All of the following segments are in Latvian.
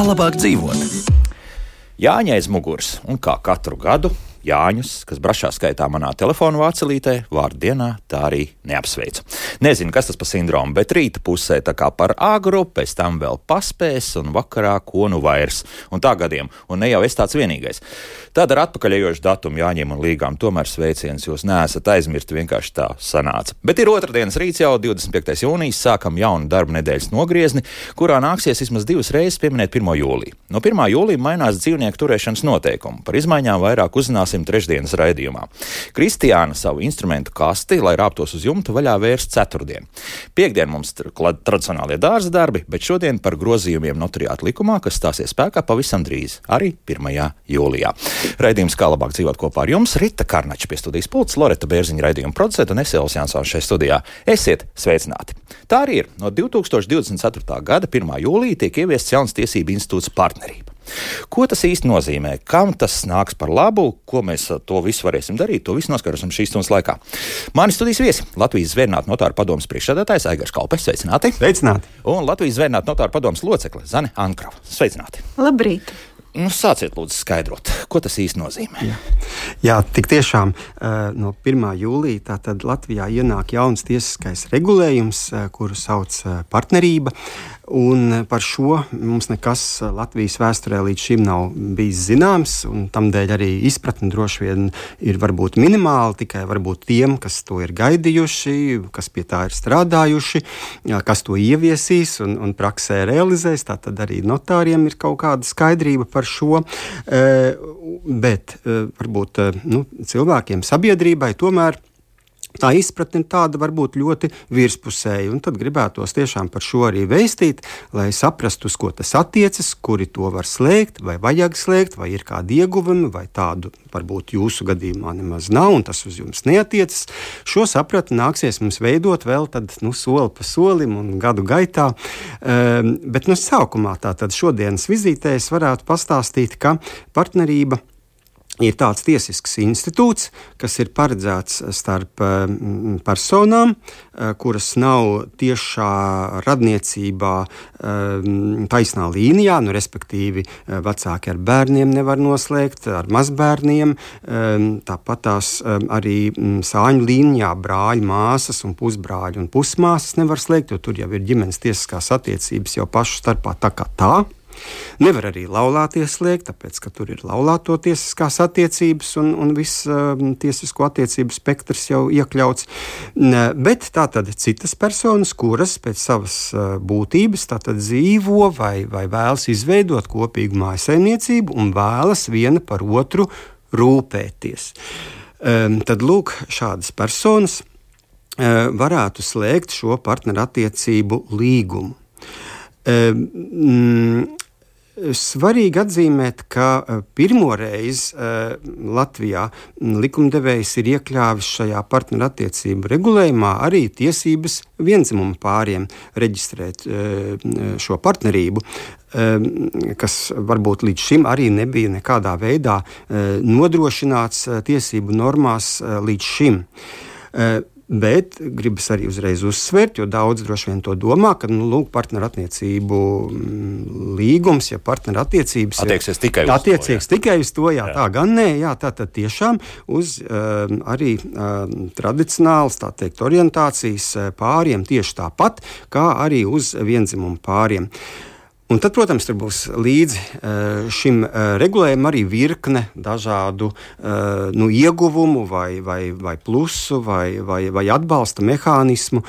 Kā labāk dzīvot? Jāņa aiz muguras, un kā katru gadu Jāņus, kas brašā skaitā manā telefonu vācelītē, vārdu dienā tā arī neapsveicu. Nezinu, kas tas par sindromu, bet rīta pusē tā kā par agru, pēc tam vēl paspēs un vakarā ko nu vairs. Un tā gadiem, un ne jau es tāds vienīgais. Tad ar atpakaļejošu datumu Jāņiem un Līgām tomēr sveiciens jūs neesat aizmirsti, vienkārši tā sanāca. Bet ir otrdienas rīts jau 25. jūnijas, sākam jaunu darba nedēļas nogriezni, kurā nāksies vismaz 2 reizes pieminēt 1. jūliju. No 1. jūlija mainās dzīvnieku turēšanas noteikumi. Par izmaiņām vairāk uzzināsim trešdienas raidījumā. Kristiāna savu instrumentu kasti, lai rāptos uz jumta, vaļā vērs ceturtdien. Piektdien mums tradicionālie dārza darbi, bet šodien par grozījumiem notariāta likumā, kas stāsies spēkā pavisam drīz, arī 1. jūlijā. Raidījums Kā labāk dzīvot kopā ar jums, Rita Karnača pie studijas pults, Loreta Bērziņa raidījuma producenta un es Elvis Jansons šeit studijā. Esiet sveicināti! Tā arī ir. No 2024. gada 1. jūlija tiek ieviests jauns tiesību institūts partnerība. Ko tas īsti nozīmē? Kam tas nāks par labu? Ko mēs to visu varēsim darīt? To visu noskaidrosim šīs stundas laikā. Mani studijas viesi Latvijas Zvērinātu notāru padomes priekšsēdētājs Aigars Kalpes. Sveicināti! Sveicināti! Un Latvijas Zvērinātu notāru padomes locekle Zane Ankrava. Sveicināti! Labrīt! Sāciet lūdzu skaidrot, ko tas īsti nozīmē. Jā, tik tiešām no 1. jūlija tātad Latvijā ienāk jauns tiesiskais regulējums, kuru sauc partnerība. Un par šo mums nekas Latvijas vēsturē līdz šim nav bijis zināms, un tamdēļ arī izpratne droši vien ir varbūt minimāla, tikai varbūt tiem, kas to ir gaidījuši, kas pie tā ir strādājuši, kas to ieviesīs un praksē realizēs. Tātad arī notāriem ir kaut kāda skaidrība par šo, bet varbūt cilvēkiem, sabiedrībai tomēr tā izpratne ir tāda varbūt ļoti virspusēja, un tad gribētos tiešām par šo arī vēstīt, lai saprastu, uz ko tas attiecas, kuri to var slēgt, vai vajag slēgt, vai ir kādi ieguvumi, vai tādu varbūt jūsu gadījumā nemaz nav, un tas uz jums neatiecas. Šo sapratni nāksies mums veidot vēl tad, soli pa solim un gadu gaitā, bet sākumā tātad šodienas vizītē es varētu pastāstīt, ka partnerība ir tāds tiesisks institūts, kas ir paredzēts starp personām, kuras nav tiešā radniecībā taisnā līnijā, respektīvi vecāki ar bērniem nevar noslēgt, ar mazbērniem, tāpat tās arī sāņu līnijā brāļi, māsas un pusbrāļi un pusmāsas nevar slēgt, jo tur jau ir ģimenes tiesiskās attiecības jau pašu starpā tā kā tā. Nevar arī laulāties slēgt, tāpēc, ka tur ir laulāto tiesiskās attiecības un viss tiesisko attiecību spektrs jau iekļauts. Bet tātad citas personas, kuras pēc savas būtības tātad dzīvo vai vēlas izveidot kopīgu mājsaimniecību un vēlas viena par otru rūpēties. Tad lūk, šādas personas varētu slēgt šo partnerattiecību līgumu. Svarīgi atzīmēt, ka pirmoreiz Latvijā likumdevējs ir iekļāvis šajā partnerattiecību regulējumā arī tiesības viendzimumu pāriem reģistrēt šo partnerību, kas varbūt līdz šim arī nebija nekādā veidā nodrošināts tiesību normās līdz šim. Bet gribas arī uzreiz uzsvērt, jo daudz droši vien to domā, ka partnerattiecību līgums, ja partnerattiecības attieksies tikai uz to, jā. Tā gan nē, jā, tātad tiešām uz arī tradicionāls, tā teikt, orientācijas pāriem tieši tāpat, kā arī uz viendzimumu pāriem. Un tad, protams, tur būs līdzi šim regulējumam arī virkne dažādu ieguvumu vai plusu vai atbalsta mehānismu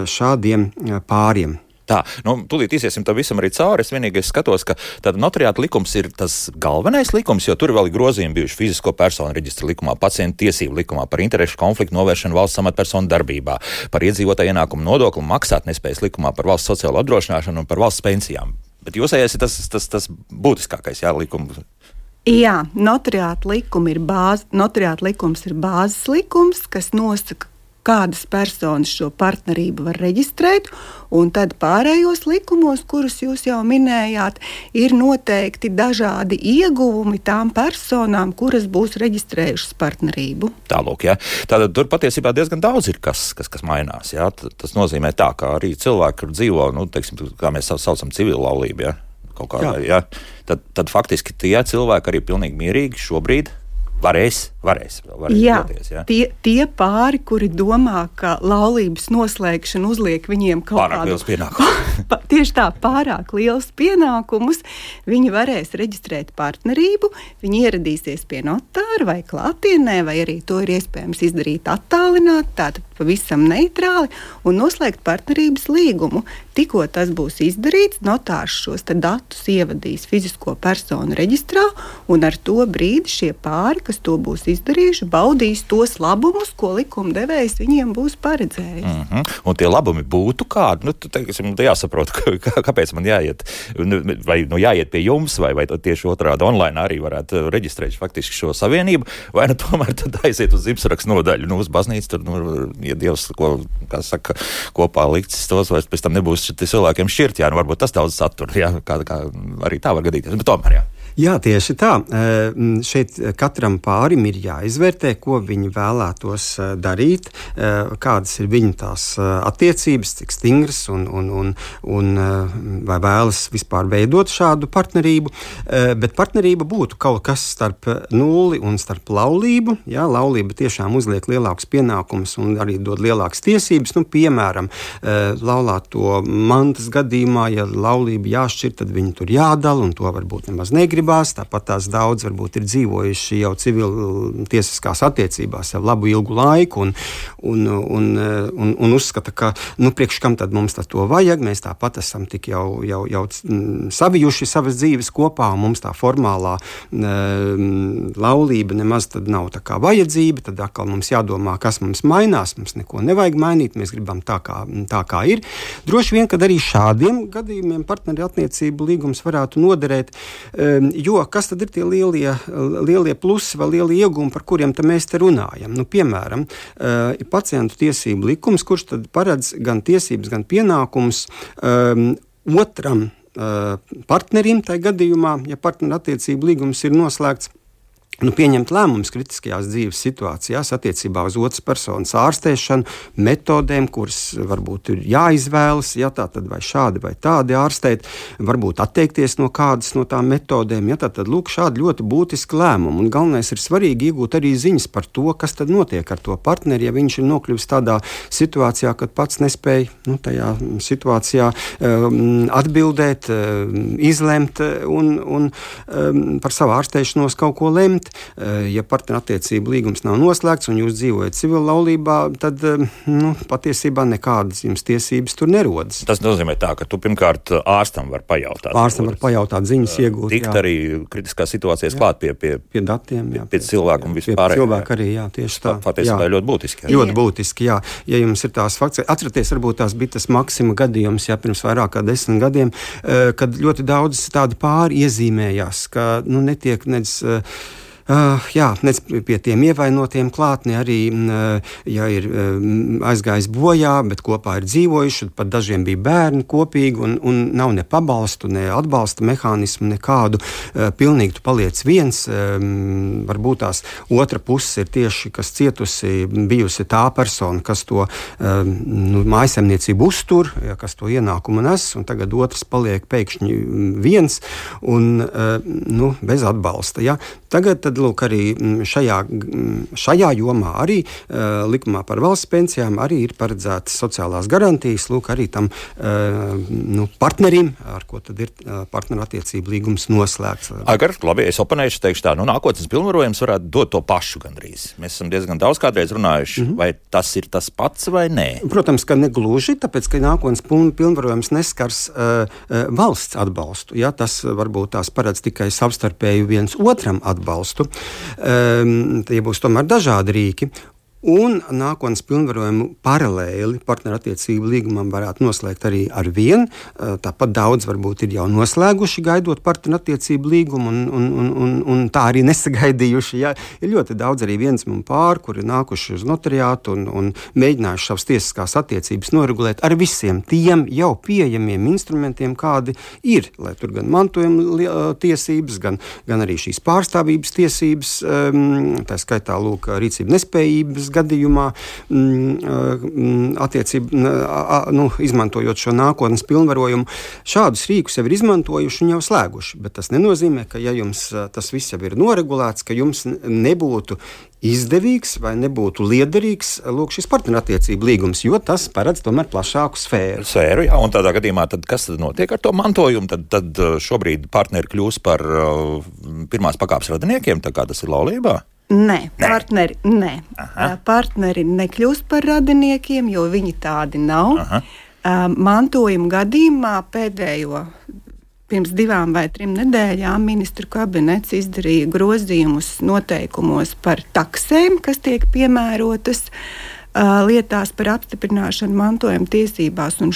šādiem pāriem. Tā, tūlīt iziesim tam visam arī cauri. Es vienīgais skatos, ka tad notariāta likums ir tas galvenais likums, jo tur vēl ir grozījumi bijuši fizisko personu reģistra likumā, pacientu tiesību likumā, par interešu konfliktu novēršanu valsts amatpersonu darbībā, par iedzīvotāju ienākumu nodokli maksātnespējas likumā, par valsts sociālo apdrošināšanu un par valsts pensijām. Bet jūsējais ir tas būtiskākais, likums. Jā, notariāta likums ir bāzes likums, kas nosaka, kādas personas šo partnerību var reģistrēt, un tad pārējos likumos, kurus jūs jau minējāt, ir noteikti dažādi ieguvumi tām personām, kuras būs reģistrējušas partnerību. Tālūk, jā. Tātad tur patiesībā diezgan daudz ir, kas mainās, jā. Tas nozīmē tā, ka arī cilvēki, kur dzīvo, teiksim, kā mēs saucam civilu laulību, jā. kaut kādā, jā. Tad faktiski tie cilvēki arī pilnīgi mierīgi šobrīd varēs jā, doties, jā. Tie pāri, kuri domā, ka laulības noslēgšana uzliek viņiem kaut pārāk liels pienākums. Tieši tā, pārāk liels pienākumus, viņi varēs reģistrēt partnerību, viņi ieradīsies pie notāra vai klātienē, vai arī to ir iespējams izdarīt attālināt, tātad pavisam neitrāli, un noslēgt partnerības līgumu. Tikko tas būs izdarīts, notārs šos datus ievadīs fizisko personu reģistrā, un ar to brīdi šie pāri, kas to būs izdarījuši, baudīs tos labumus, ko likumdevējs viņiem būs paredzējis. Un tie labumi būtu kādi? Teiksim, jāsaprot, kāpēc man jāiet, vai jāiet pie jums, vai tieši otrādi online arī varētu reģistrēt faktiski šo savienību, vai tomēr tad aiziet uz Zibsarakstu nodaļu, uz baznīcu, tur, ja Dievs, kā saka, kopā likts tos, vai pēc tam nebūs cilvēkiem šķirt, varbūt tas daudz satur, kā arī tā var gadīties, bet tomēr, Jā, tieši tā. Šeit katram pārim ir jāizvērtē, ko viņi vēlētos darīt, kādas ir viņu tās attiecības, cik stingras un vai vēlas vispār veidot šādu partnerību. Bet partnerība būtu kaut kas starp nulli un starp laulību. Jā, laulība tiešām uzliek lielākus pienākumus un arī dod lielākas tiesības. Piemēram, laulāto mantas gadījumā, ja laulība jāšķir, tad viņi tur jādala, un to varbūt nemaz negrib. Tāpat tās daudz varbūt ir dzīvojuši jau civiltiesiskās attiecībās jau labu ilgu laiku un uzskata, ka priekš kam tad mums to vajag, mēs tāpat esam tik jau savijuši savas dzīves kopā, un mums tā formālā laulība nemaz tad nav tā kā vajadzība, tad atkal mums jādomā, kas mums mainās, mums neko nevajag mainīt, mēs gribam tā kā ir. Droši vien, kad arī šādiem gadījumiem partneru attiecību līgums varētu noderēt, jo kas tad ir tie lielie plusi vai lielie iegūmi, par kuriem mēs te runājam? Piemēram, ir pacientu tiesību likums, kurš tad paredz gan tiesības, gan pienākums otram partnerim, tajā gadījumā, ja partneru attiecību līgums ir noslēgts, pieņemt lēmumus kritiskajās dzīves situācijās attiecībā uz otras personas ārstēšanu, metodēm, kuras varbūt ir jāizvēlas, tātad vai šādi vai tādi ārstēt, varbūt atteikties no kādas no tām metodēm, tātad lūk šādi ļoti būtiski lēmumi. Un galvenais ir svarīgi iegūt arī ziņas par to, kas tad notiek ar to partneri, ja viņš ir nokļuvis tādā situācijā, kad pats nespēja tajā situācijā atbildēt, izlemt un par savu ārstēšanos kaut ko lemt. Ja partnerattiecību līgums nav noslēgts un jūs dzīvojat civil laulībā, tad patiesībā nekādas jums tiesības tur nerodas. Tas nozīmē tā, ka tu pirmkārt ārstam var pajautāt. Ārstam var pajautāt, ziņas iegūt. Tikt arī kritiskās situācijas klāt pie datiem, pie cilvēku un vispār. Pie cilvēku arī, tieši tā. Patiesībā ļoti būtiski. Ļoti būtiski, jā. Ja jums ir tās fakts, atceraties, varbūt tās bija tas Maksima gadījums, pirms vairāk kā 10 gadiem, kad ļoti daudz tādi pāri iezīmējās, ka netiek nedz nec pie tiem ievainotiem klāt, ne arī, ja ir aizgājis bojā, bet kopā ir dzīvojuši, pat dažiem bija bērni kopīgi un nav ne pabalstu, ne atbalsta mehānismu, nekādu. Pilnīgi tu paliec viens. Varbūt tās otra puse ir tieši, kas cietusi, bijusi tā persona, kas to mājasemniecību uztur, kas to ienākumu nes, un tagad otrs paliek pēkšņi viens un bez atbalsta. Ja? Tagad tad, lūk, arī šajā jomā arī likumā par valsts pensijām arī ir paredzētas sociālās garantijas, lūk, arī tam partnerim, ar ko tad ir partnerattiecību līgums noslēgts. Agar, labi, es oponēšu, teikšu tā, nākotnes pilnvarojums varētu dot to pašu gandrīz. Mēs esam diezgan daudz kādreiz runājuši, vai tas ir tas pats vai nē? Protams, ka negluži, tāpēc, ka nākotnes pilnvarojums neskars valsts atbalstu. Ja? Tas varbūt tās paredz tikai savstarpēju viens otram atbalstu. Tie būs tomēr dažādi rīki. Un nākotnes pilnvarojumu paralēli partnerattiecību līgumam varētu noslēgt arī ar vienu. Tāpat daudz varbūt ir jau noslēguši, gaidot partnerattiecību līgumu un tā arī nesagaidījuši. Ja? Ir ļoti daudz arī viensmumu pāri, kuri nākuši uz notariātu un mēģinājuši savas tiesiskās attiecības noregulēt ar visiem tiem jau pieejamiem instrumentiem, kādi ir. Lai tur gan mantojuma tiesības, gan arī šīs pārstāvības tiesības, tā skaitā lūk, rīcību nespējības gadījumā, izmantojot šo nākotnes pilnvarojumu, šādus rīkus jau ir izmantojuši un jau slēguši. Bet tas nenozīmē, ka ja jums tas viss jau ir noregulēts, ka jums nebūtu izdevīgs vai nebūtu liederīgs šis partnerattiecību līgums, jo tas paredz tomēr plašāku sfēru. Jā, un tādā gadījumā, kas tad notiek ar to mantojumu? Tad šobrīd partneri kļūs par pirmās pakāpes radiniekiem, tā kā tas ir laulībā? Nē. Partneri nekļūst par radiniekiem, jo viņi tādi nav. Mantojuma gadījumā pirms 2 vai 3 nedēļām ministru kabinets izdarīja grozījumus noteikumos par taksēm, kas tiek piemērotas lietās par apstiprināšanu mantojuma tiesībās, un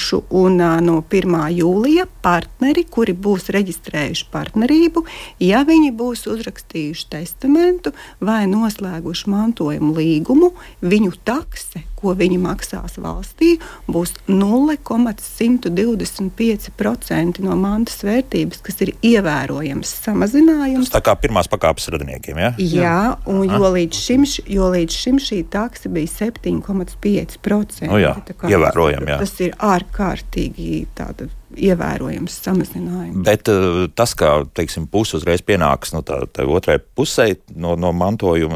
no 1. jūlija partneri, kuri būs reģistrējuši partnerību, ja viņi būs uzrakstījuši testamentu vai noslēguši mantojuma līgumu, viņu takse, ko viņi maksās valstī, būs 0,125% no mantas vērtības, kas ir ievērojams samazinājums. Tas tā kā pirmās pakāpes radiniekiem, ja? Jā, un jo līdz šim šī takse bija 7,5%. Ievērojami, jā. Tas ir ārkārtīgi tāda ievērojams samazinājums. Bet tas, kā, teiksim, puse uzreiz pienāks tā otrai pusē no mantojuma,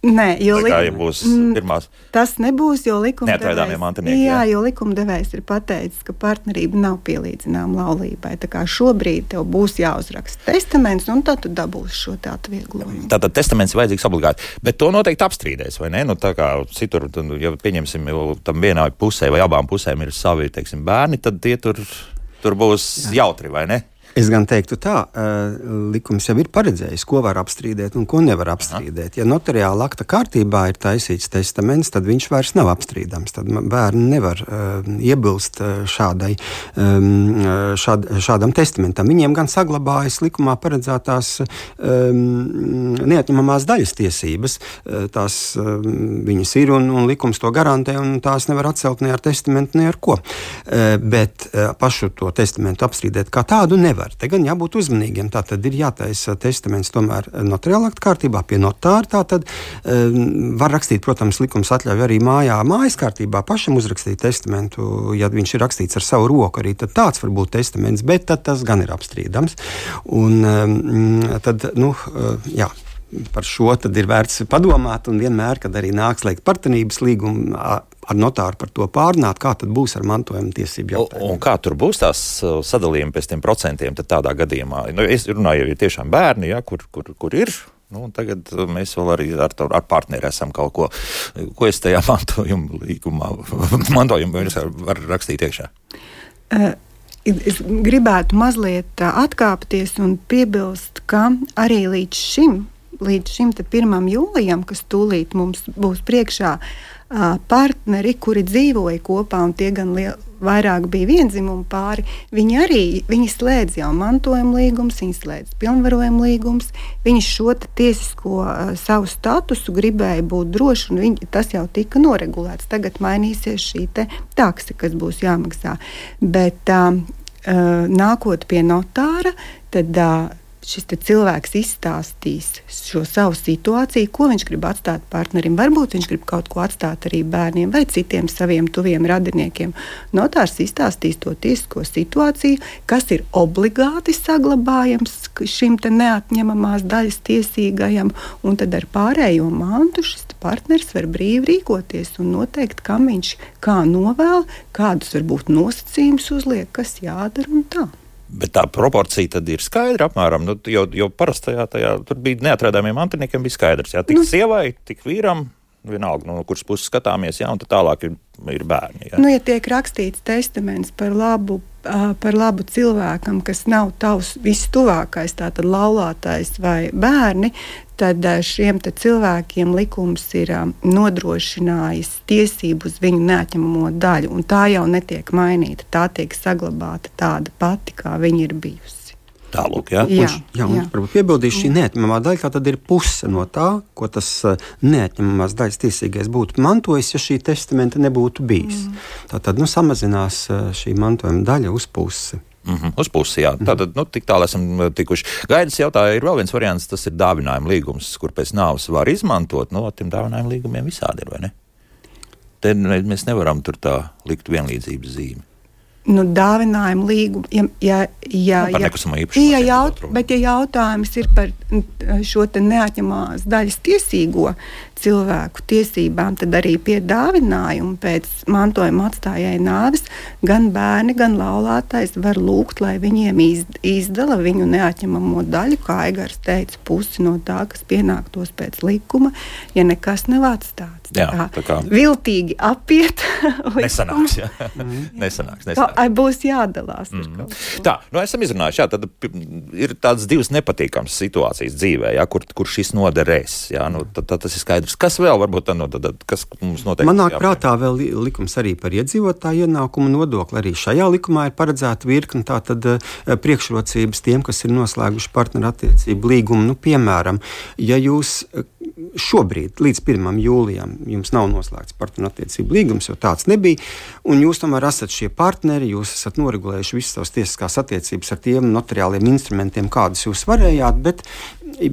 Nē, jo būs pirmās. Tas nebūs, jo neatraidāmie mantinieki. Jā, jo likumdevējs ir pateicis, ka partnerība nav pielīdzināma laulībai. Tā kā šobrīd tev būs jāuzraksta testaments, un tad tu dabūsi šo tā atvieglojumu. Tātad testaments vajadzīgs obligāti. Bet to noteikti apstrīdēs, vai ne? Tā kā citur, ja pieņemsim, tam vienai pusē vai abām pusēm ir savi, teiksim, bērni, tad tie tur būs jautri, vai ne? Es gan teiktu tā, likums jau ir paredzējis, ko var apstrīdēt un ko nevar apstrīdēt. Ja notariāla akta kārtībā ir taisīts testaments, tad viņš vairs nav apstrīdams. Tad bērni nevar iebilst šādam testamentam. Viņiem gan saglabājas likumā paredzētās neatņemamās daļas tiesības. Tās viņas ir un likums to garantē, un tās nevar atcelt ne ar testamentu, ne ar ko. Bet pašu to testamentu apstrīdēt kā tādu nevar. Te gan jābūt uzmanīgiem. Tātad ir jātaisa testaments tomēr notariāla akta kārtībā pie notāra. Tātad var rakstīt, protams, likums atļauj arī mājas kārtībā pašam uzrakstīt testamentu, ja viņš ir rakstīts ar savu roku, arī tad tāds var būt testaments, bet tad tas gan ir apstrīdams. Un tad, jā. Par šo tad ir vērts padomāt, un vienmēr, kad arī nāks slēgt partnerības līgumu ar notāru par to pārnāt, kā tad būs ar mantojuma tiesību jautājumu. Un kā tur būs tās sadalījumi pēc tiem procentiem tad tādā gadījumā? Es runāju, ja tiešām bērni, ja, kur ir. Tagad mēs vēl arī ar partneri esam kaut ko es tajā mantojuma līgumā, var rakstīt iekšā. Es gribētu mazliet atkāpties un piebilst, ka arī līdz šim 1. jūlijam, kas tūlīt mums būs priekšā, partneri, kuri dzīvoja kopā, un tie gan vairāk bija viendzimumu pāri, viņi slēdz jau mantojuma līgumus, viņi slēdz pilnvarojuma līgumus, viņi šo tiesisko savu statusu gribēja būt droši, un tas jau tika noregulēts. Tagad mainīsies šī takse, kas būs jāmaksā. Bet nākot pie notāra, tad šis cilvēks izstāstīs šo savu situāciju, ko viņš grib atstāt partnerim. Varbūt viņš grib kaut ko atstāt arī bērniem vai citiem saviem tuviem radiniekiem. Notārs izstāstīs to tiesisko situāciju, kas ir obligāti saglabājams šim neatņemamās daļas tiesīgajam, un tad ar pārējo mantu šis partneris var brīvi rīkoties un noteikt, kam viņš kā novēl, kādus varbūt nosacījumus uzliek, kas jādara un tā. Bet tā proporcija tad ir skaidra apmēram, jo parastajā tur bija neatrādāmiem mantiniekiem bija skaidrs, jā, tik sievai, tik vīram, vienalga, no kuras puses skatāmies, jā, un tad tālāk ir bērni, jā. Ja tiek rakstīts testaments par labu cilvēkam, kas nav tavs vistuvākais, tātad laulātais vai bērni, tad šiem cilvēkiem likums ir nodrošinājis tiesību uz viņu neatņemamo daļu, un tā jau netiek mainīta, tā tiek saglabāta tāda pati, kā viņa ir bijusi. Tālūk, jā? Jā, un varbūt piebildīšu, šī neatņemamā daļa, tā tad ir puse no tā, ko tas neatņemamās daļas tiesīgais būtu mantojis, ja šī testamenta nebūtu bijis. Tātad, samazinās šī mantojuma daļa uz pusi. Uz pusi, jā. Tātad, tik tālu esam tikuši. Gaidas jautāja, ir vēl viens variants, tas ir dāvinājuma līgums, kur pēc nāves var izmantot. Tiem dāvinājuma līgumiem visādi ir, vai ne? Te mēs nevaram tur tā likt vienlīdzības zīmi. Dāvinājuma līguma, par nekustamā īpašumu. Bet jautājums ir par šo te neatņemamās daļas tiesīgo cilvēku tiesībām, tad arī pie dāvinājuma pēc mantojuma atstājēja nāves gan bērni, gan laulātais var lūgt, lai viņiem izdala viņu neatņemamo daļu, kā Aigars teica, pusi no tā, kas pienāktos pēc likuma, ja nekas nav atstāts. Jā, tā kā viltīgi apiet nesanāks, jā. Nesanāks. Būs jādalās. Tā, esam izrunājuši, jā, tad ir tādas divas nepatīkamas situācijas dzīvē, jā, kur šis noderēs, jā, tad tas ir skaidrs. Kas vēl varbūt kas mums noteikti? Man nāk prātā vēl likums arī par iedzīvotāju ienākumu nodokli. Arī šajā likumā ir paredzēta virkne tātad priekšrocības tiem, kas ir noslēguši partnerattiecību līgumu. Piemēram, ja jūs šobrīd, līdz 1. jūlijam, jums nav noslēgts partnerattiecību līgums, jo tāds nebija, un jūs tomēr esat šie partneri, jūs esat noregulējuši visas savas tiesiskās attiecības ar tiem notariāliem instrumentiem, kādus jūs varējāt, bet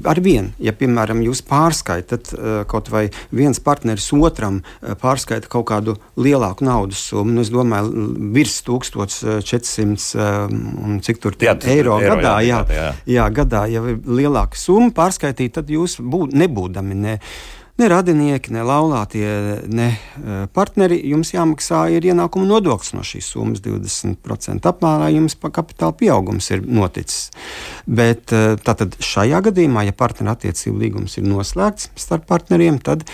ar vienu, ja, piemēram, jūs pārskaitat kaut vai viens partneris otram pārskaita kaut kādu lielāku naudas summu, es domāju, virs 1400 un cik tur eiro gadā, gadā, ja ir lielāka summa pārskaitīt, tad jūs nebūdami ne radinieki, ne laulātie, ne partneri, jums jāmaksā ir ienākuma nodoklis no šīs summas 20% apmērā, jums kapitāla pieaugums ir noticis. Bet tātad šajā gadījumā, ja partnerattiecību līgums ir noslēgts starp partneriem, tad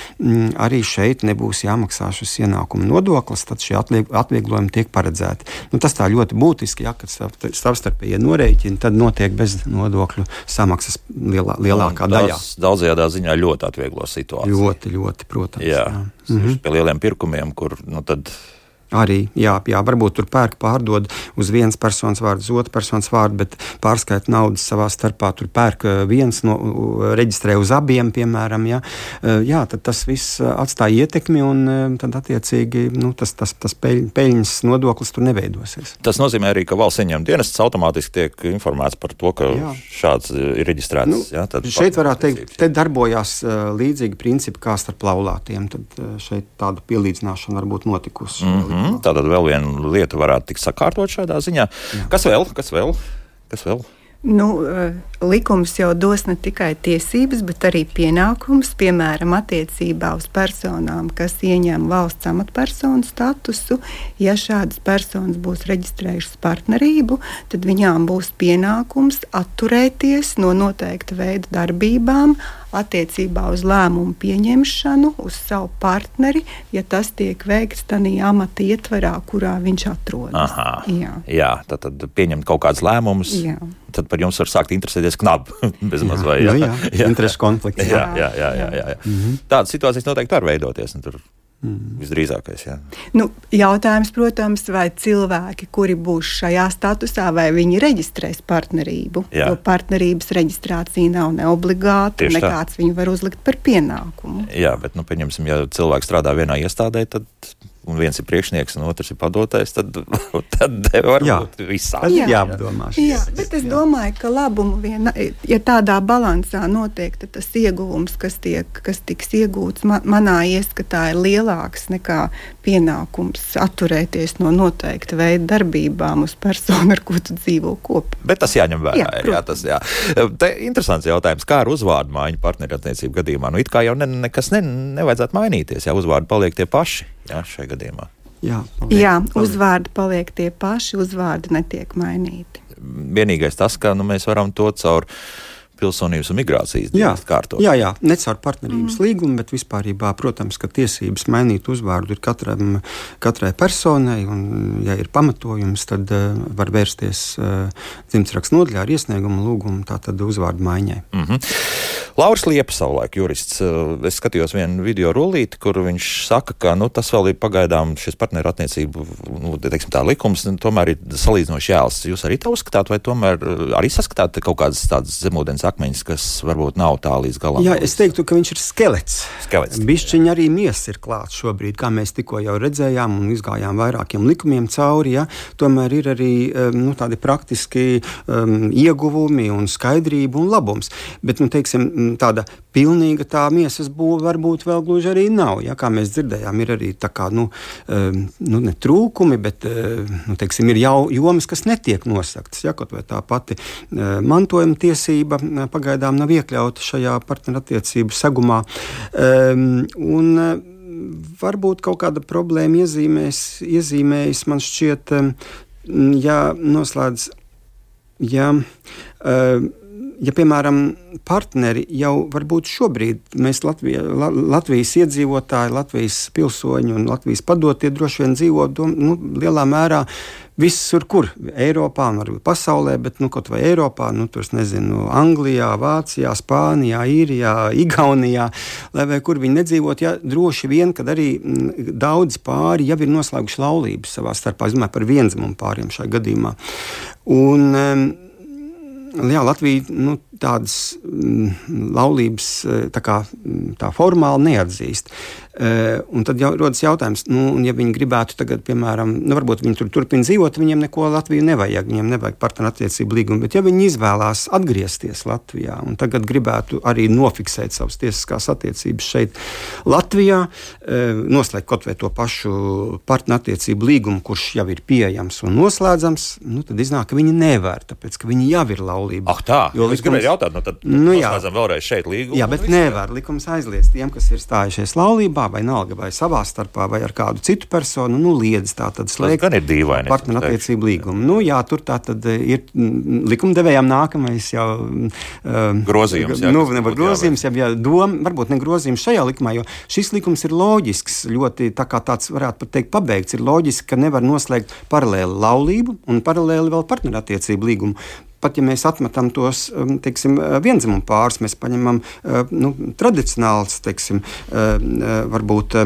arī šeit nebūs jāmaksā šis ienākuma nodoklis, tad šie atvieglojumi tiek paredzēti. Tas tā ļoti būtiski, ja, kad savstarpēji norēķini, tad notiek bez nodokļu samaksas lielākā daļā. Tas daudzajādā ziņā ļoti atvieglo situāciju. Ļoti, protams. Jā. Pie lieliem pirkumiem, kur tad arī, varbūt tur pērk pārdod uz vienas personas vārdu, uz otru personas vārdu, bet pārskaita naudas savā starpā, tur pērk viens, reģistrē uz abiem, piemēram, tad tas viss atstāja ietekmi un tad attiecīgi, tas peļņas nodoklis tur neveidosies. Tas nozīmē arī, ka valsts ieņēmuma dienests automātiski tiek informēts par to, ka šāds ir reģistrēts. Šeit varētu teikt, te darbojās līdzīgi principi kā starp laulātiem, tad šeit tāda pielīdzināšana varbūt notikusi. Tātad vēl viena lieta varētu tikt sakārtot šādā ziņā. Kas vēl? Likums jau dos ne tikai tiesības, bet arī pienākums, piemēram, attiecībā uz personām, kas ieņem valsts amatpersonu statusu. Ja šādas personas būs reģistrējušas partnerību, tad viņām būs pienākums atturēties no noteikta veida darbībām attiecībā uz lēmumu pieņemšanu, uz savu partneri, ja tas tiek veikts tādā amata ietvarā, kurā viņš atrodas. Jā, tad pieņemt kaut kādus lēmumus, tad par jums var sākt interesēties knabi. Bezmaz vai, interešu konflikts. Jā. Tādas situācijas noteikti var veidoties, un tur visdrīzākais, jā. Jautājums, protams, vai cilvēki, kuri būs šajā statusā, vai viņi reģistrēs partnerību, jo partnerības reģistrācija nav neobligāta, nekāds viņu var uzlikt par pienākumu. Jā, bet, pieņemsim, ja cilvēks strādā vienā iestādē, tad un viens ir priekšnieks, un otrs ir padotais, tad var būt visādi. Jāapdomā. Bet es domāju, ka labumu ja tādā balansā notiek, tad tas ieguvums, kas tiks iegūts, manā ieskatā ir lielāks nekā pienākums atturēties no noteikta veida darbībām uz personu, ar ko tu dzīvo kopā. Bet tas jāņem vērā. Te interesants jautājums, kā ar uzvārdu maiņu partnerattiecību gadījumā? It kā jau nekas nevajadzētu mainīties, uzvārdi paliek tie paši. Šajā gadījumā. Uzvārdi paliek tie paši, uzvārdi netiek mainīti. Vienīgais tas, ka mēs varam to caur pilsonības un migrācijas dienestu kārtot. Jā, ne caur partnerības līgumu, bet vispārībā, protams, ka tiesības mainīt uzvārdu ir katrai personai, un, ja ir pamatojums, tad var vērsties dzimtsrakstu nodaļā ar iesniegumu lūgumu tātad uzvārdu maiņai. Lauris Liepa, savulaik jurists, es skatījos vienu video rullīti, kur viņš saka, ka tas vēl ir pagaidām šis partnerattiecību, tā likums, tomēr ir salīdzinoši jēls. Jūs arī tā uzskatāt, vai tomēr arī saskatāt kaut kādas tādas zemūdens akmeņus, kas varbūt nav tā līdz galam. Jā, es teiktu, ka viņš ir skelets. Bišķiņi arī miesa ir klāts šobrīd, kā mēs tikko jau redzējām un izgājām vairākiem likumiem cauri. Ja? Tomēr ir arī tādi praktiski ieguvumi un skaidrība un labums. Bet, teiksim, tāda pilnīga tā miesas būve varbūt vēl gluži arī nav. Ja? Kā mēs dzirdējām, ir arī tā kā, ne trūkumi, bet, teiksim, ir jomas, kas netiek nosaktas. Ja? Kaut vai tā pati mantojuma tiesība pagaidām nav iekļauta šajā partnerattiecību segumā. Un varbūt kaut kāda problēma iezīmējas, man šķiet, ja, piemēram, partneri jau varbūt šobrīd mēs Latvijas iedzīvotāji, Latvijas pilsoņi un Latvijas padotie droši vien dzīvo lielā mērā visur, kur Eiropā un varbūt pasaulē, bet kaut vai Eiropā, tur, nezinu, Anglijā, Vācijā, Spānijā, Īrijā, Igaunijā, lai vai kur viņi nedzīvot, ja droši vien, kad arī daudz pāri jau ir noslēguši laulības savā starpā, es domāju par vienzimumu pāriem šajā gadījumā. Un Latvija tādas laulības tā formāli neatzīst. Un tad jau rodas jautājums, ja viņi gribētu tagad, piemēram, varbūt viņi tur turpina dzīvot, viņiem neko Latviju nevajag, viņiem nevajag partnerattiecību līgumu, bet ja viņi izvēlās atgriezties Latvijā un tagad gribētu arī nofiksēt savas tiesiskās attiecības šeit Latvijā, noslēgt kaut vai to pašu partnerattiecību līgumu, kurš jau ir pieejams un noslēdzams, tad iznāk, ka viņi nevar, tāpēc, ka viņi jau ir laulība. Tā, jo es gribēju jautāt, tad noslēdzam vēlreiz šeit līgumu. Jā, bet nevar, likums aizliedz tiem, kas ir stājušies laulībā, vai nalga, vai savā starpā, vai ar kādu citu personu, liedz tātad slēgt partnerattiecību līgumu. Jā, tur tātad ir likumdevējām nākamais jau grozījums. Grozījums, varbūt ne grozījums šajā likumā, jo šis likums ir loģisks, ļoti tā kā tāds varētu pat teikt pabeigts, ir loģiski, ka nevar noslēgt paralēli laulību un paralēli vēl partnerattiecību līgumu. Pat ja mēs atmetam tos, teiksim, vienzimumu pārus, mēs paņemam tradicionāls, teiksim, varbūt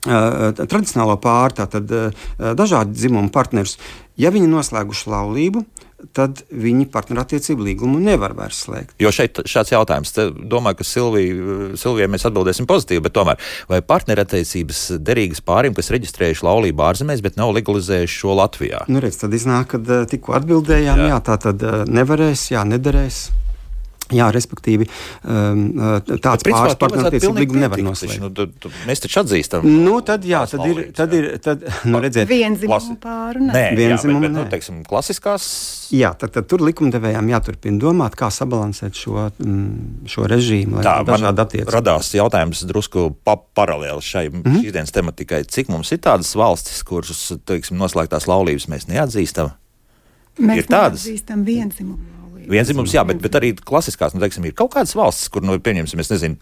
tradicionālo pāru, tātad dažādi dzimumu partnerus. Ja viņi noslēguši laulību, tad viņi partnerattiecību līgumu nevar vairs slēgt. Jo šeit šāds jautājums, domāju, ka Silvijai mēs atbildēsim pozitīvi, bet tomēr, vai partnerattiecības derīgas pāriem, kas reģistrējuši laulību ārzemēs, bet nav legalizējuši šo Latvijā? Redz, tad iznāk, kad tikko atbildējām, tā tad nevarēs, nederēs. Jā, respektīvi, tāds pāris partnerattiecību līgumu nevar noslēgt. Mēs taču atzīstam. Tad ir, redziet. Vienzimumu pāru, ne? Vienzimumu, bet, teiksim, klasiskās. Jā, tad tur likumdevējām jāturpina domāt, kā sabalansēt šo režīmu, lai dažādi attiecības. Radās jautājums drusku paralēli šīs dienas tematikai. Cik mums ir tādas valstis, kuras, teiksim, noslēgtās laulības mēs neatzīstam? Mēs neatzīstam vienzimumu. Vienzimums, jā, bet arī klasiskās, teiksim, ir kaut kādas valstis, kur, pieņemsim, es nezinu,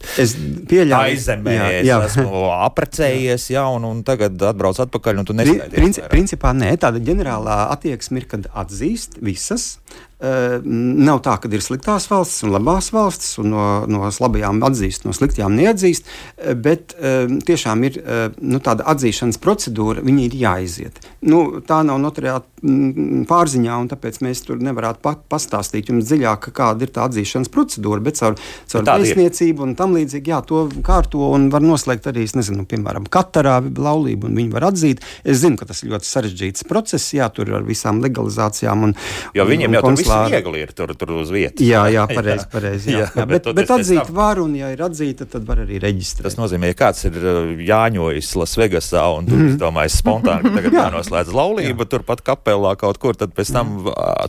aizemē, esmu aprecējies, un tagad atbrauc atpakaļ, un tu neskaidrs. Principā nē, tāda ģenerālā attieksme ir, kad atzīst visas. Nav tā, ka ir sliktās valstis un labās valstis, un no labajām atzīst, no sliktajām neatzīst, bet tiešām ir tāda atzīšanas procedūra, viņa ir jāiziet. Tā nav notariāta pārziņā, un tāpēc mēs tur nevarētu pastāstīt jums dziļāk, kāda ir tā atzīšanas procedūra, bet caur vēstniecību un tam līdzīgi, to kārto un var noslēgt arī, es nezinu, piemēram, Katarā laulību, un viņi var atzīt. Es zinu, ka tas ir ļoti sarežģīts process, tur ar visām legalizācijām un jo viņiem jau tur viss viegli ir tur uz vietas. Jā, pareizi. Bet atzīt var, un ja ir atzīta, tad var arī reģistrēt. Tas nozīmē, ka kāds ir jāņojis Lasvegasā un domājis spontāni, ka tagad jānoslēdz laulība, turpat kapelā kaut kur, tad pēc tam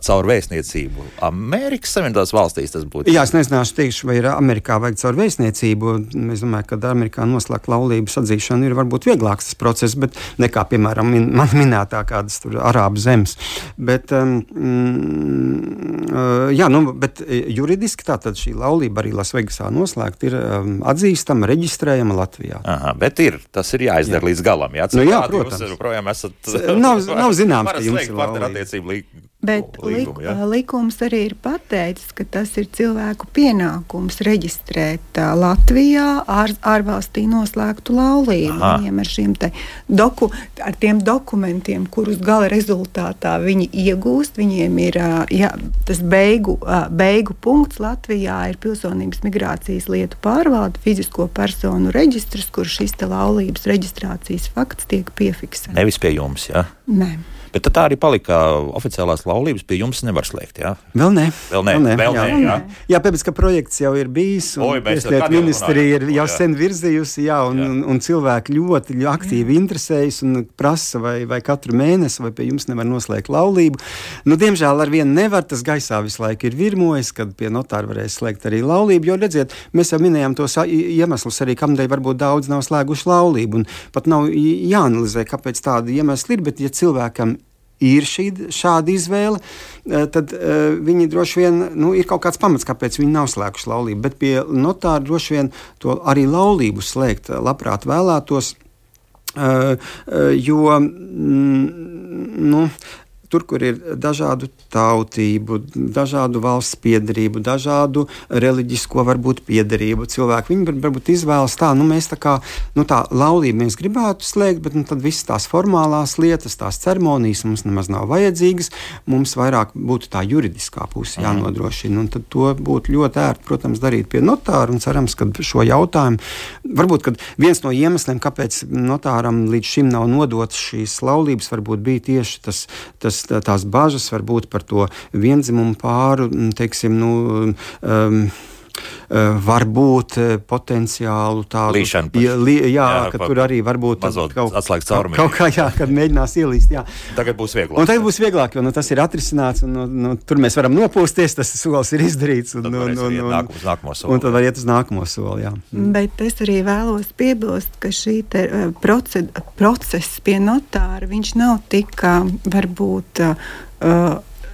caur vēstniecību. Amerikas Savienotās valstīs tas būtu. Jā, es nezināšu teikšu, vai ir Amerikā vajag caur vēstniecību. Es domāju, ka Amerikā noslēgt laulības atzīšana ir varbūt vieglāks tas process, bet nekā, piemēram, man minētā kādas tur Arābu zemes. Bet bet juridiski tātad šī laulība arī Lasvegasā noslēgt ir atzīstama, reģistrējama Latvijā. Bet tas ir jāizdara līdz galam. Jā, protams. Jūs projām esat nav zināms, ka jums ir partnerattiecību līgumu. Bet likums arī ir pateicis, ka tas ir cilvēku pienākums reģistrēt Latvijā ārvalstī noslēgtu laulību. Viņiem ar šiem ar tiem dokumentiem, kurus gala rezultātā viņi iegūst, viņiem ir tas beigu punkts Latvijā ir Pilsonības migrācijas lietu pārvalde, fizisko personu reģistrs, kur šis te laulības reģistrācijas fakts tiek piefiksēts. Nevis pie jums, jā? Nē. Bet tā arī palika oficiālās laulības pie jums nevar slēgt, jā? Vēl nē. Jā. Jā, pēc, ka projekts jau ir bijis, un Tieslietu ministrija ir jau sen virzījusi, un cilvēki ļoti aktīvi interesējas un prasa, vai katru mēnesi, vai pie jums nevar noslēgt laulību. Nu, diemžēl ar vienu nevar, tas gaisā visu laiku ir virmojis, kad pie notāra varēs slēgt arī laulību, jo, redziet, mēs jau minējām tos iemeslus arī, kamdēļ varbūt daudz nav slēguši laulību, un pat nav jāanalizē, kāpēc tādi iemesli ir, bet ja cilvēkam ir šāda izvēle, tad viņi droši vien, ir kaut kāds pamats, kāpēc viņi nav slēguši laulību, bet pie notāra droši vien to arī laulību slēgt labprāt vēlētos, jo, tur, kur ir dažādu tautību, dažādu valsts piederību, dažādu reliģisko varbūt piederību cilvēku, viņi varbūt izvēlas mēs tā laulību mēs gribētu slēgt, bet tad visas tās formālās lietas, tās ceremonijas mums nemaz nav vajadzīgas, mums vairāk būtu tā juridiskā puse jānodrošina, un tad to būtu ļoti ērti, protams, darīt pie notāra, un cerams, ka šo jautājumu, varbūt, kad viens no iemesliem, kāpēc notāram līdz šim nav nodotas šīs laulības, varbūt bija tieši tās bažas varbūt par to viendzimumu pāru, teiksim, varbūt potenciālu tādu līšanu. Ka tur arī varbūt atslēgt caurumiem. Kaut kā, kad mēģinās ielīst, Tagad būs vieglāk. Un tagad būs vieglāk, jo tas ir atrisināts, un tur mēs varam nopūsties, tas solis ir izdarīts. Un tad var iet uz nākamo soli, Bet es arī vēlos piebilst, ka šī process pie notāra, viņš nav tik varbūt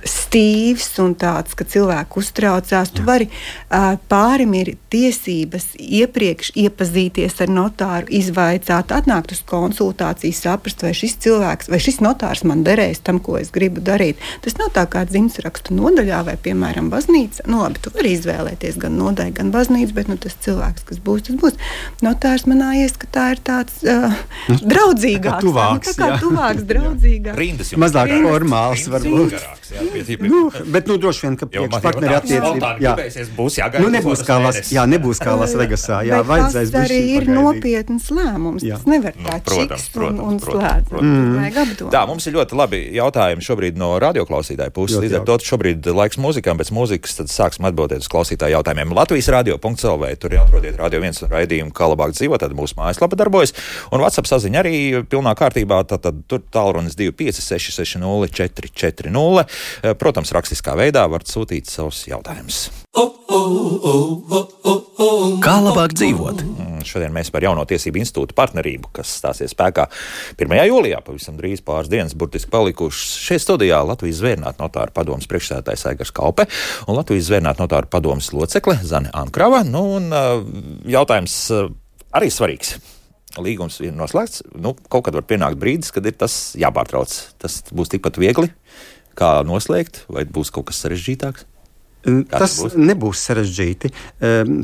stīvs un tāds, ka cilvēku uztraucās. Tu vari, pārim ir tiesības iepriekš iepazīties ar notāru, izvaicāt, atnākt uz konsultāciju, saprast, vai šis cilvēks, vai šis notārs man derēs tam, ko es gribu darīt. Tas nav tā kā dzimtsrakstu nodaļā vai, piemēram, baznīca. Labi, tu vari izvēlēties gan nodaļu, gan baznīcu, bet tas cilvēks, kas būs, tas būs. Notārs manā ieskatā ir tāds draudzīgāks. Tuvāks, draudzīgāks. Rindas mazāk formāls varbūt. Bet droši vien, ka priekšpartneri attiecības nebūs kā Las Vegasā. Tas arī ir nopietns lēmums. Tas nevar tā čiks un slēdz. Vajag apdomāt. Tā, mums ir ļoti labi jautājumi šobrīd no radioklausītāju puses. Līdz ar to šobrīd laiks mūzikām, pēc mūzikas tad sāksim atbildēt uz klausītāju jautājumiem. Latvijas radio.lv, tur atrodiet Radio 1 raidījumu, kā labāk dzīvot, tad mūsu mājaslapa darbojas. Un WhatsApp saziņa arī pilnā kārtībā, tad tur tālrunis 256 440. Protams, rakstiskā veidā varat sūtīt savus jautājumus. Kā labāk dzīvot? Šodien mēs par Jauno tiesību institūtu partnerību, kas stāsies spēkā 1. jūlijā, pavisam drīz pāris dienas burtiski palikušas. Šeit studijā Latvijas Zvērnātu notāru padomes priekšsēdētājs Aigars Kaupe un Latvijas Zvērnātu notāru padomes locekle Zane Ankrava. Jautājums arī svarīgs. Līgums ir noslēgts. Kaut kad var pienākt brīdis, kad ir tas jāpārtrauc. Tas būs tikpat viegli, kā noslēgt, vai būs kaut kas sarežģītāks? Tas nebūs sarežģīti.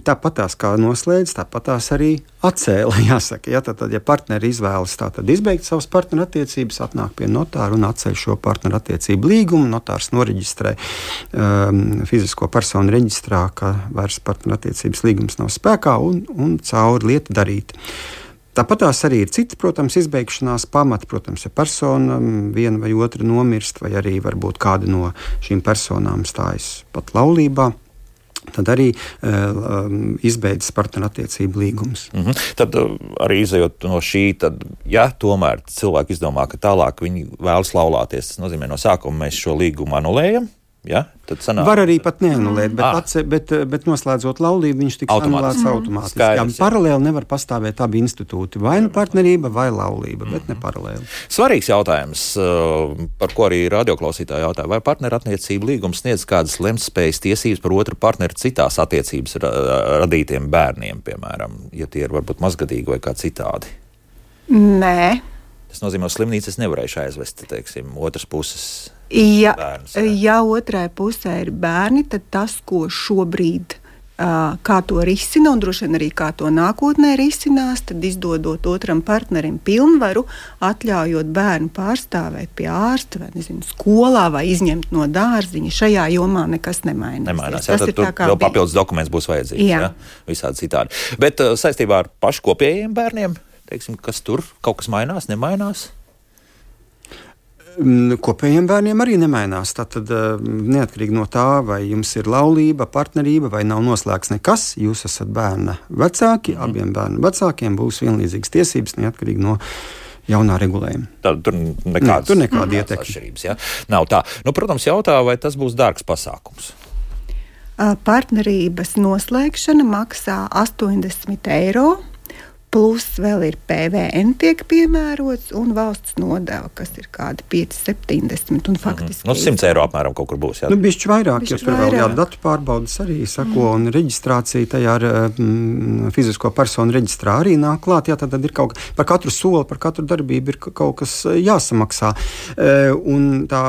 Tāpatās kā noslēdz, tāpatās arī atcēla, jāsaka. Tad, ja partneri izvēlas izbeigt savas partneru attiecības, atnāk pie notāra un atceļ šo partneru attiecību līgumu, notārs noreģistrē fizisko personu reģistrā, ka vairs partneru attiecības līgums nav spēkā un cauri lieta darīt. Tāpatās arī ir citi, protams, izbeigšanās pamati. Protams, ja persona viena vai otra nomirst, vai arī varbūt kāda no šīm personām stājas pat laulībā, tad arī izbeidzas partnerattiecību līgums. Tad arī izejot no šī, tad, ja tomēr cilvēki izdomā, ka tālāk viņi vēlas laulāties, tas nozīmē no sākuma mēs šo līgumu anulējam. Var arī pat neanulēt, bet noslēdzot laulību, viņš tiks anulēts automātiski. Paralēli nevar pastāvēt abi institūti, vai partnerība, vai laulība, bet ne paralēli. Svarīgs jautājums, par ko arī radioklausītāji jautāja, vai partnerattiecību līgums sniedz kādas lemtspējas tiesības par otru partneri citās attiecības radītiem bērniem, piemēram, ja tie ir varbūt mazgadīgi vai kā citādi? Nē. Tas nozīmē, ka slimnīcas nevarēšu aizvest, teiksim, otras puses. Bērnus, ja otrai pusē ir bērni, tad tas, ko šobrīd kā to risina un droši vien arī kā to nākotnē risinās, tad izdodot otram partnerim pilnvaru, atļaujot bērnu pārstāvēt pie ārsta vai, nezinu, skolā vai izņemt no dārziņa, šajā jomā nekas nemainās. Jā, tad tur vēl papildus dokuments būs vajadzīgs, jā, visādi citādi. Bet saistībā ar pašu kopējiem bērniem, teiksim, kas tur kaut kas mainās, nemainās? Kopējiem bērniem arī nemainās. Tātad neatkarīgi no tā, vai jums ir laulība, partnerība vai nav noslēgts nekas, jūs esat bērna vecāki, abiem bērnu vecākiem būs vienlīdzīgas tiesības, neatkarīgi no jaunā regulējuma. Tur nekāda ietekme. Atšķirības, ja? Nav tā. Protams, jautā, vai tas būs dārgs pasākums? Partnerības noslēgšana maksā 80 €. Plus vēl ir PVN tiek piemērots un valsts nodeva, kas ir kādi 5,70 un faktiski. 100 € apmēram kaut kur būs, jā? Bišķi vairāk, jo tur vēl datu pārbaudas arī sako un reģistrācija tajā ar fizisko personu reģistrā arī nāk klāt. Jā, tad ir kaut kas, par katru soli, par katru darbību ir kaut kas jāsamaksā. Un tā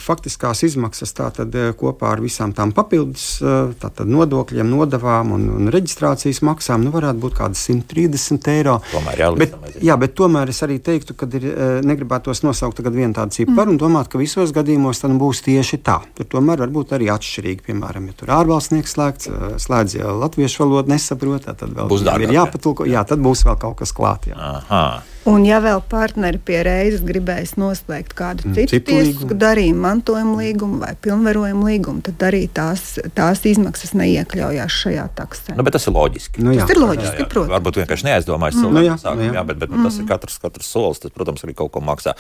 faktiskās izmaksas tātad kopā ar visām tām papildus, tātad nodokļiem, nodevām un reģistrācijas maksām, varētu būt kādas 130 €. Bet tomēr es arī teiktu, ka negribētos nosaukt tagad vienu tādu ciparu un domāt, ka visos gadījumos tad būs tieši tā. Tur tomēr var būt arī atšķirīgi. Piemēram, ja tur ārvalstnieks slēdz, ja latviešu valodu nesaprot, tad vēl būs dārgāk, ir jāpatulko. Jā, tad būs vēl kaut kas klāt. Aha. Un ja vēl partneri pie reizes gribēs noslēgt kādu citu tiesisku darījumu, mantojuma līgumu vai pilnvarojuma līgumu, tad arī tās izmaksas neiekļaujās šajā taksē. Bet tas ir loģiski. Tas ir loģiski, protams. Varbūt vienkārši neaizdomājas cilvēku, bet tas ir katrs solis, tas, protams, arī kaut ko maksā.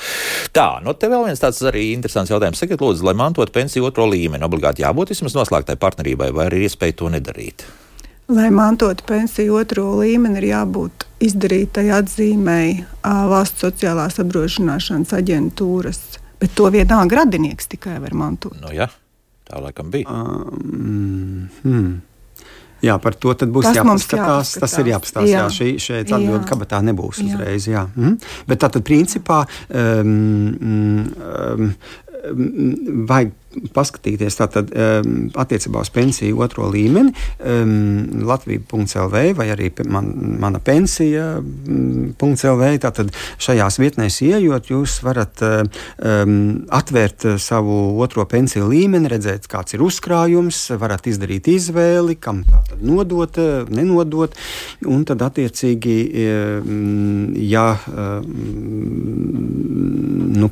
Tā, te vēl viens tāds arī interesants jautājums. Sakiet, lūdzu, lai mantot pensiju otro līmeni, obligāti jābūt vismaz noslēgtai partnerībai, vai arī iespēja to nedarīt? Lai mantotu pensiju otro līmeni, ir jābūt izdarītai atzīmei valsts sociālās apdrošināšanas aģentūras, bet to vienā radinieks tikai var mantot. Jā, tā laikam bija. Jā, par to tad būs jāpaskatās. Tas ir jāpastāst. Jā, šeit atbildi kabatā nebūs uzreiz. Jā. Bet tātad principā vajag paskatīties tātad attiecībā uz pensiju otro līmeni, Latvija.lv vai arī mana pensija.lv. Tātad šajās vietnēs ieejot, jūs varat atvērt savu otro pensiju līmeni, redzēt, kāds ir uzkrājums, varat izdarīt izvēli, kam tātad nodot, nenodot, un tad attiecīgi, ja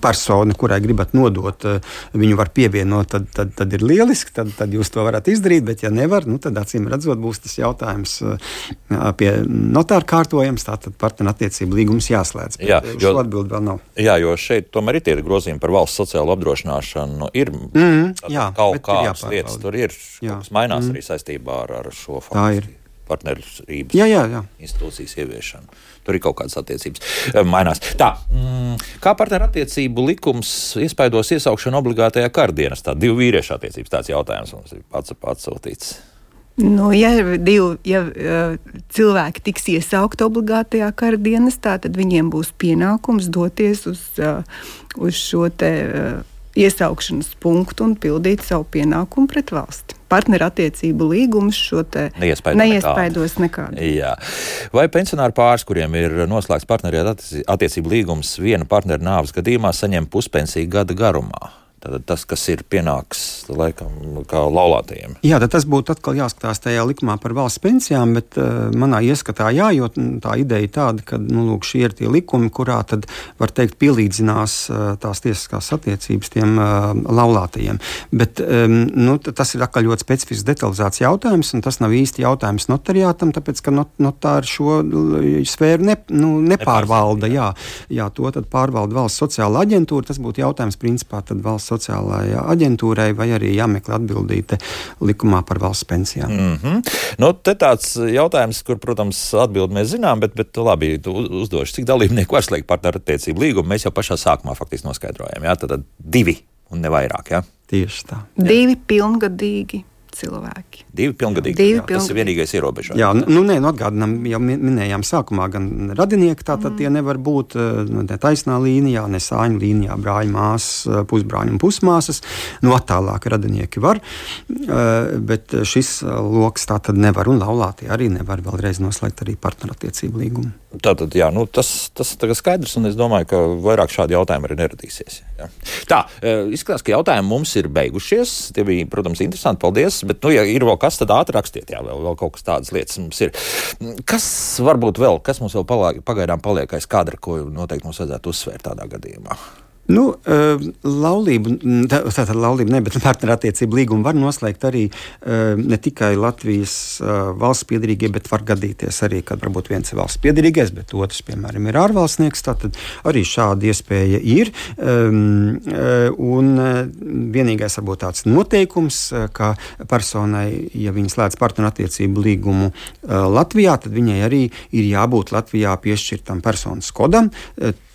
persona, kurai gribat nodot, viņu var pievienot, tad ir lieliski, tad jūs to varat izdarīt, bet ja nevar, tad acīm redzot būs tas jautājums pie notāra kārtojums, tātad partnerattiecību līgums jāslēdz. Šo atbildi vēl nav. Jā, jo šeit tomēr ir tie grozījumi par valsts sociālo apdrošināšanu. Ir kaut kādas lietas, tur ir, kas mainās arī saistībā ar šo faktu. Partnerības institūcijas ieviešanu. Tur ir kaut kādas attiecības mainās. Tā, kā partnerattiecību likums iespaidos iesaukšanu obligātajā kardienestā? Divu vīriešu attiecības, tāds jautājums mums ir atsūtīts. Ja cilvēki tiks iesaukti obligātajā kardienestā, tad viņiem būs pienākums doties uz šo te iesaukšanas punktu un pildīt savu pienākumu pret valsti. Partnerattiecību līgums šo te neiespaidos nekādu. Jā. Vai pensionāri pāris, kuriem ir noslēgts partnerattiecību līgums viena partnera nāves gadījumā, saņem puspensiju gada garumā? Tātad tas, kas ir pienāks, laikam, kā laulātajiem. Jā, tad tas būtu atkal jāskatās tajā likumā par valsts pensijām, bet manā ieskatā jo tā ideja tāda, ka, šie ir tie likumi, kurā tad, var teikt, pielīdzinās tās tiesiskās attiecības tiem laulātajiem. Bet, tas ir atkal ļoti specifisks detalizēts jautājums, un tas nav īsti jautājums notariātam, tāpēc, ka notāri šo sfēru nepārvalda. Jā, to tad pārvalda valsts sociālā aģentūra, tas būtu jautājums principā tad valsts sociālajā aģentūrai vai arī jāmeklē atbildīte likumā par valsts pensijām. Te tāds jautājums, kur, protams, atbildi mēs zinām, bet labi, uzdošu, cik dalībnieku var slēgt partnerattiecību līgumu, mēs jau pašā sākumā faktiski noskaidrojam. Tad 2 un ne vairāk. Tieši tā. 2 pilngadīgi cilvēki. 2 pilngadīgi. Tas ir vienīgais ierobežojums. Jā, atgādinām, jau minējām sākumā, gan radinieki, tātad tie nevar būt ne taisnā līnijā, ne sāņu līnijā, brāļi, māsas, pusbrāļi un pusmāsas. Attālāk radinieki var, bet šis loks tā tad nevar, un laulātie arī nevar vēlreiz noslēgt arī partnerattiecību līgumu. Tātad, tas tagad skaidrs, un es domāju, ka vairāk šādi jautājumi arī neradīsies. Jā. Tā, izskatās, ka jautājumi mums ir beigušies. Tie bija, protams, interesanti, paldies, bet, ja ir vēl kas, tad ātri rakstiet, vēl kaut kas tādas lietas mums ir. Kas varbūt vēl, kas mums vēl pagaidām paliek aiz kadra, ko noteikti mums vajadzētu uzsvērt tādā gadījumā? Laulību ne, bet partnerattiecību līgumu var noslēgt arī ne tikai Latvijas valsts piederīgie, bet var gadīties arī, kad varbūt viens ir valsts piederīgais, bet otrs, piemēram, ir ārvalstnieks. Tātad arī šāda iespēja ir. Un vienīgais varbūt tāds noteikums, ka personai, ja viņa slēdz partnerattiecību līgumu Latvijā, tad viņai arī ir jābūt Latvijā piešķirtam personas kodam.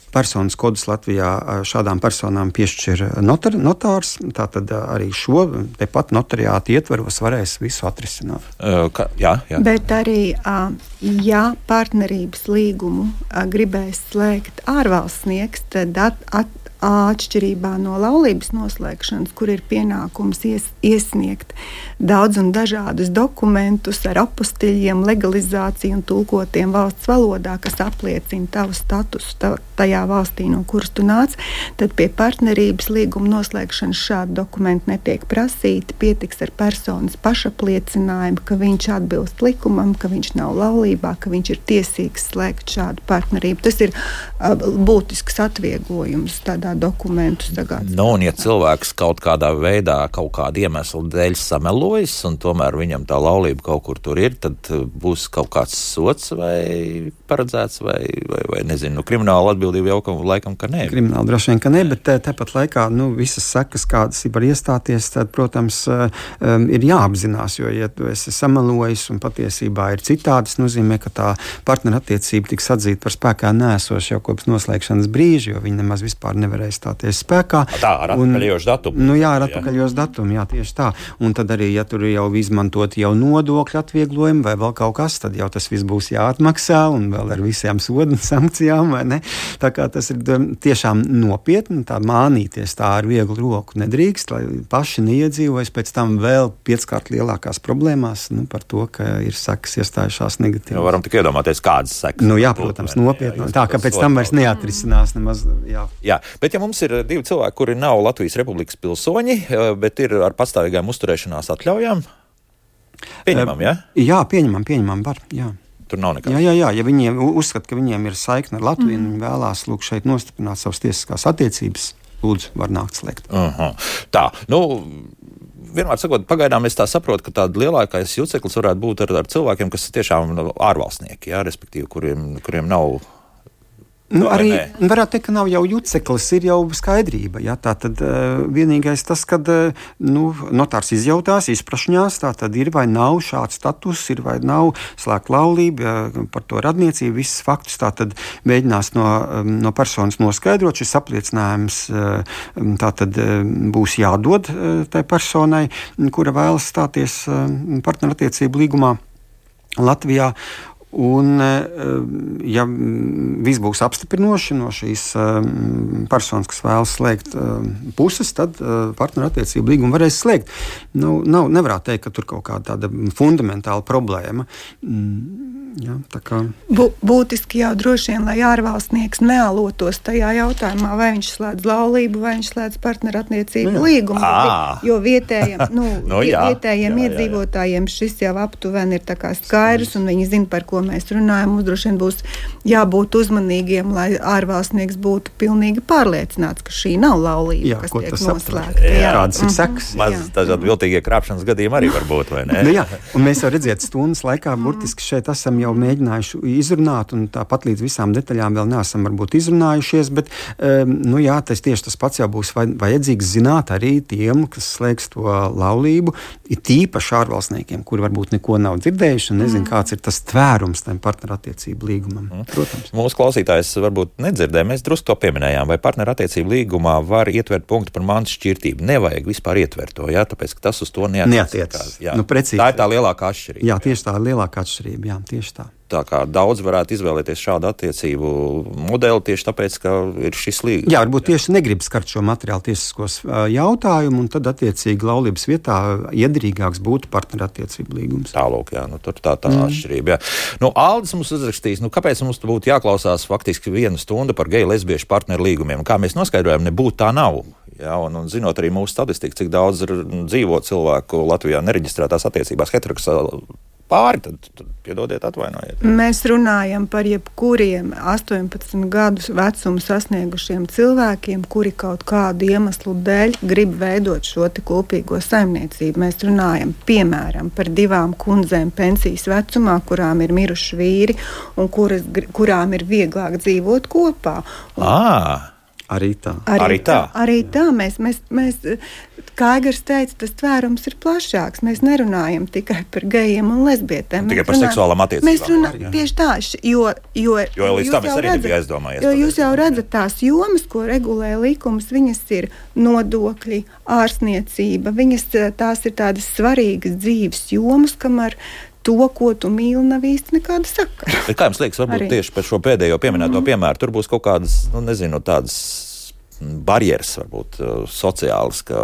Personas kodus Latvijā šādām personām piešķir notārs, tātad arī šo tepat notariātu ietvaros varēs visu atrisināt. Jā. Bet arī, ja partnerības līgumu gribēs slēgt ārvalstnieks, tad atšķirībā no laulības noslēgšanas, kur ir pienākums iesniegt daudz un dažādus dokumentus ar apostiļiem, legalizāciju un tulkotiem valsts valodā, kas apliecina tavu statusu tajā valstī, no kuras tu nāc, tad pie partnerības līguma noslēgšanas šādi dokumenti netiek prasīti. Pietiks ar personas pašapliecinājumu, ka viņš atbilst likumam, ka viņš nav laulībā, ka viņš ir tiesīgs slēgt šādu partnerību. Tas ir būtisks atvieglojums tādā dokumentu sagādāt. Un ja cilvēks kaut kādā veidā, kaut kāda iemesla dēļ samelojas, un tomēr viņam tā laulība kaut kur tur ir, tad būs kaut kāds sots vai paredzēts, vai nezinu, krimināla atbildība jau laikam, ka nē. Krimināla droši vien, ka nē, bet tāpat laikā, visas sekas, kādas var iestāties, tad, protams, ir jāapzinās, jo, ja tu esi samelojis un patiesībā ir citādi, tas nozīmē, ka tā partnerattiecība tiks atzīta par spēkā nēsošu jau kopš noslēgšanas brīža, jo viņi nemaz vispār nevarēja stāties spēkā. Tā, ar atpakaļošu datumu. Ar atpakaļošu datumu, jā, tieši tā. Un tad arī, ja tur jau izmantot jau nodokļu atvieglojumu vai vēl kaut kas, tad jau tas viss būs jāatmaksā un vēl ar visām sodu un sankcijām, vai ne? Tā kā tas ir tiešām nopietni, tā mānīties tā ar vieglu roku nedrīkst, lai paši neiedzīvojas pēc tam vēl 5-kārt lielākās problēmās, par to, ka ir sekas iestājušās negatīvi. Jo varam tik iedomāties, kādas sekas. Jā, protams, nopietni. Tā, ka pēc tam vairs neatrisinās nemaz, Jā, bet ja mums ir 2 cilvēki, kuri nav Latvijas Republikas pilsoņi, bet ir ar pastāvīgām uzturēšanās atļaujām, pieņemam, ja? Jā, pieņemam, var, jā. Tur nav nekā. Jā, ja viņi uzskata, ka viņiem ir saikne ar Latviju, un viņi vēlās šeit nostiprināt savas tiesiskās attiecības, lūdzu, var nākt slēgt. Tā, vienmēr sakot, pagaidām es tā saprotu, ka tāda lielākais juceklis varētu būt ar cilvēkiem, kas tiešām ārvalstnieki, jā, respektīvi, kuriem nav. Arī varētu teikt, ka nav jau juceklis, ir jau skaidrība. Ja? Tā tad vienīgais tas, kad notārs izjautās, izprašņās, tā tad ir vai nav šāds status, ir vai nav slēgt laulība, par to radniecību, visas faktus tā tad mēģinās no personas noskaidrot. Šis apliecinājums tā tad būs jādod tai personai, kura vēlas stāties partnerattiecību līgumā Latvijā. Un, ja viss būs apstiprinoši no šīs personas, kas vēlas slēgt puses, tad partnerattiecību līgumu varēs slēgt. Nevarētu teikt, ka tur kaut kāda tāda fundamentāla problēma. Jā, tā kā. Būtiski jau droši vien, lai ārvalstnieks nealotos tajā jautājumā, vai viņš slēdz laulību, vai viņš slēdz partnerattiecību līgumu. Jo vietējiem iedzīvotājiem šis jau aptuveni ir tā kā skaidrs, un viņi zina, par ko mēs runājam. Mums droši vien būs jābūt uzmanīgiem, lai ārvalstnieks būtu pilnīgi pārliecināts, ka šī nav laulība, kas tiek noslēgta. Kādas ir sekas? Maz dažādi viltīgie krāpšanas gadījumi arī var būt, vai ne? Un mēs jau redzēt stundas laikā burtiski šeit esam jau mēģinājuši izrunāt, un tāpat līdz visām detaļām vēl neesam varbūt izrunājušies, bet tas tieši tas pats jau būs vajadzīgs zināt arī tiem, kas slēgs to laulību, ir tīpaši ārvalstniekiem, kuri varbūt neko nav dzirdējuši un nezin, kāds ir tas tvērums aptvērums tam partnerattiecību līgumam. Protams. Mūsu klausītājs varbūt nedzirdēja, mēs drusku to pieminējām, vai partnerattiecību līgumā var ietvert punktu par mantas šķirtību. Nevajag vispār ietvert to, jā, tāpēc, ka tas uz to neatiecas. Nu, precīzi. Tā ir tā lielākā atšķirība. Jā, tieši tā ir lielākā atšķirība, jā, tieši tā. Tā kā daudz varētu izvēlēties šādu attiecību modeli tieši tāpēc, ka ir šis līgums. Jā, varbūt tieši negrib skart šo materiālu tiesiskos jautājumu, un tad attiecīgi laulības vietā iederīgāks būtu partnerattiecību līgums. Tālūk, jā, nu tur tā atšķirība, jā. Nu, Aldis mums uzrakstīs, kāpēc mums būtu jāklausās faktiski 1 stunda par geju lesbiešu partneru līgumiem. Kā mēs noskaidrojam, nebūtu tā nav. Jā, un zinot arī mūsu statistiku, cik daudz ir dzīvo cilvēku Latvijā nereģistrētās attiecībās heteroseksuāli pāri, tad piedodiet, atvainojiet. Mēs runājam par jebkuriem 18 gadus vecumu sasniegušiem cilvēkiem, kuri kaut kādu iemeslu dēļ grib veidot šo te kopīgo saimniecību. Mēs runājam, piemēram, par 2 kundzēm pensijas vecumā, kurām ir miruši vīri un kurām ir vieglāk dzīvot kopā. Arī tā. Arī tā. Mēs, kā Aigars teica, tas tvērums ir plašāks. Mēs nerunājam tikai par gejiem un lesbietēm. Tikai par seksuālām attiecībām. Mēs runājam tieši tā, jo līdz tam es arī nebiju aizdomājies. Jo jūs jau redzat tās jomas, ko regulē likums, viņas ir nodokļi, ārsniecība, tās ir tādas svarīgas dzīves jomas, kamēr to, ko tu mīli, nav īsti nekāda sakara. Bet kā jums liekas, varbūt tieši par šo pēdējo pieminēto piemēru, tur būs kaut kādas, tādas barjeras, varbūt sociālas, ka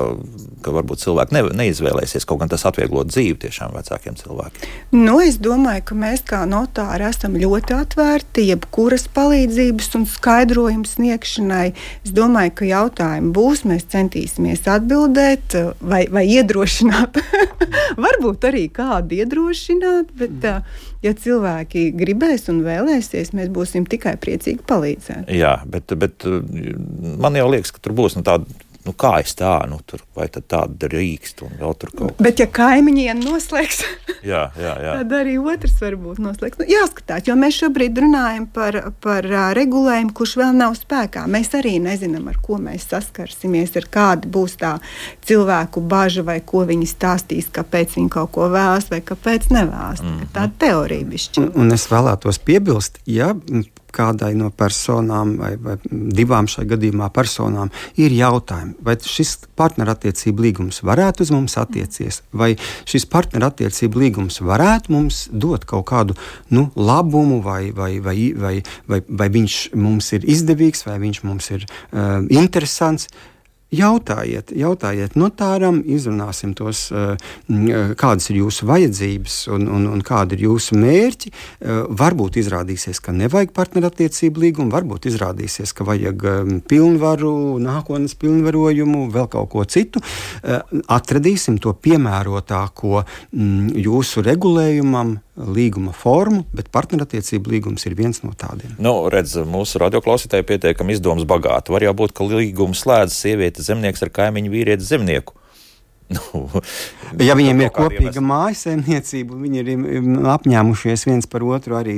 varbūt cilvēki neizvēlēsies, kaut gan tas atvieglot dzīvi tiešām vecākiem cilvēkiem. Es domāju, ka mēs kā notāri esam ļoti atvērti jebkuras palīdzības un skaidrojumu sniegšanai. Es domāju, ka jautājumi būs, mēs centīsimies atbildēt vai iedrošināt. Varbūt arī kādu iedrošināt, bet ja cilvēki gribēs un vēlēsies, mēs būsim tikai priecīgi palīdzēt. Jā, bet man jau liekas, ka tur būs tāda, kā es tā, tur, vai tad tāda drīkst un vēl tur kaut kas. Bet ja kaimiņiem noslēgs, jā. tad arī otrs varbūt noslēgs. Jāskatās, jo mēs šobrīd runājam par regulējumu, kurš vēl nav spēkā. Mēs arī nezinām, ar ko mēs saskarsimies, ar kāda būs tā cilvēku baža vai ko viņi stāstīs, kāpēc viņi kaut ko vēlas vai kāpēc nevēlas. Tā teorija bišķi. Un es vēlētos piebilst, kādai no personām vai 2 šajā gadījumā personām ir jautājumi, vai šis partnerattiecību līgums varētu uz mums attiekties, vai šis partnerattiecību līgums varētu mums dot kaut kādu labumu, vai viņš mums ir izdevīgs, vai viņš mums ir interesants. Jautājiet notāram, izrunāsim tos, kādas ir jūsu vajadzības un kādi ir jūsu mērķi. Varbūt izrādīsies, ka nevajag partnerattiecību līgumu, varbūt izrādīsies, ka vajag pilnvaru, nākotnes pilnvarojumu, vēl kaut ko citu. Atradīsim to piemērotāko jūsu regulējumam, līguma formu, bet partnerattiecību līgums ir viens no tādiem. Redz, mūsu radioklausītāji pietiekami izdomas bagāti. Var jau būt, ka līgumu slēdz sieviete zemnieks ar kaimiņu vīrieti zemnieku. Ja viņiem ir kopīga mājasaimniecība, viņi ir apņēmušies viens par otru arī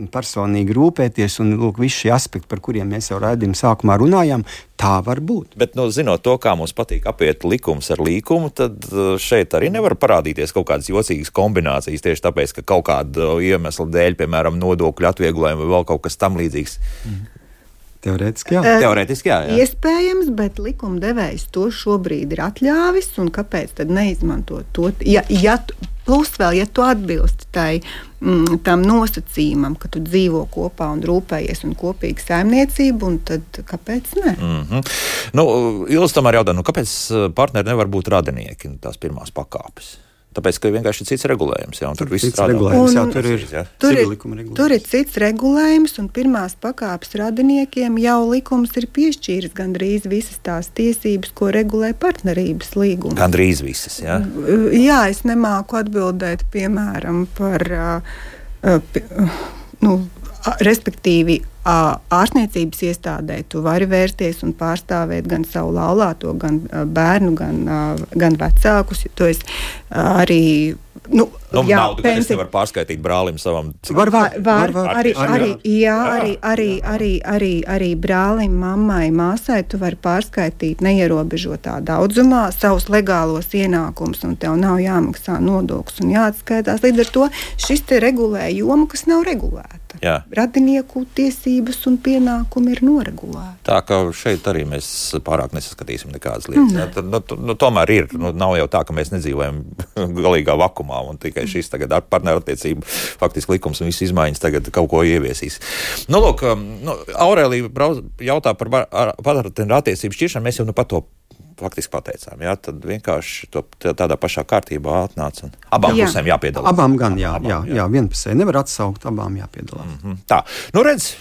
personīgi rūpēties, un lūk, visi šie aspekti, par kuriem mēs jau raidījuma sākumā runājām, tā var būt. Bet, zinot to, kā mums patīk apiet likums ar līkumu, tad šeit arī nevar parādīties kaut kādas jocīgas kombinācijas tieši tāpēc, ka kaut kāda iemesla dēļ, piemēram, nodokļu atvieglojumi vai vēl kaut kas tam līdzīgs. Teorētiski jā. Iespējams, bet likumdevējs to šobrīd ir atļāvis, un kāpēc tad neizmantot to? Plus vēl, ja tu atbilsti tam nosacījumam, ka tu dzīvo kopā un rūpējies un kopīgi saimniecību, un tad kāpēc ne? Ilz tomēr jautā, kāpēc partneri nevar būt radinieki, tās pirmās pakāpes? Tāpēc, ka vienkārši ir cits regulējums, un tur viss strādā. Tur ir cits regulējums, un pirmās pakāpes radiniekiem jau likums ir piešķīris gandrīz visas tās tiesības, ko regulē partnerības līgums. Gandrīz visas, jā? Jā, es nemāku atbildēt, piemēram, par, respektīvi, ārstniecības iestādē tu vari vērsties un pārstāvēt gan savu laulāto, gan bērnu, gan vecākus. Tu esi arī Naudu, es nevaru pārskaitīt brālim savam. Arī brālim, mammai, māsai tu vari pārskaitīt neierobežotā daudzumā savus legālos ienākumus, un tev nav jāmaksā nodoklis un jāatskaitās. Līdz ar to šis te regulē jomu, kas nav regulēta. Jā. Radinieku tiesības un pienākumi ir noregulēti. Tā ka šeit arī mēs pārāk nesaskatīsim nekādas lietas. Tad, tomēr ir. Nav jau tā, ka mēs nedzīvojam galīgā vakumā un tikai šis tagad ar partnerattiecību faktiski likums un visas izmaiņas tagad kaut ko ieviesīs. Lūk, Aurēlija jautā par partnerattiecību šķiršanu. Mēs jau pat to faktiski pateicām. Jā, tad vienkārši tādā pašā kārtībā atnāca un abām pusēm jāpiedalās. Abām gan, jā, vienpusē nevar atsaukt, abām jāpiedalās. Tā, redz,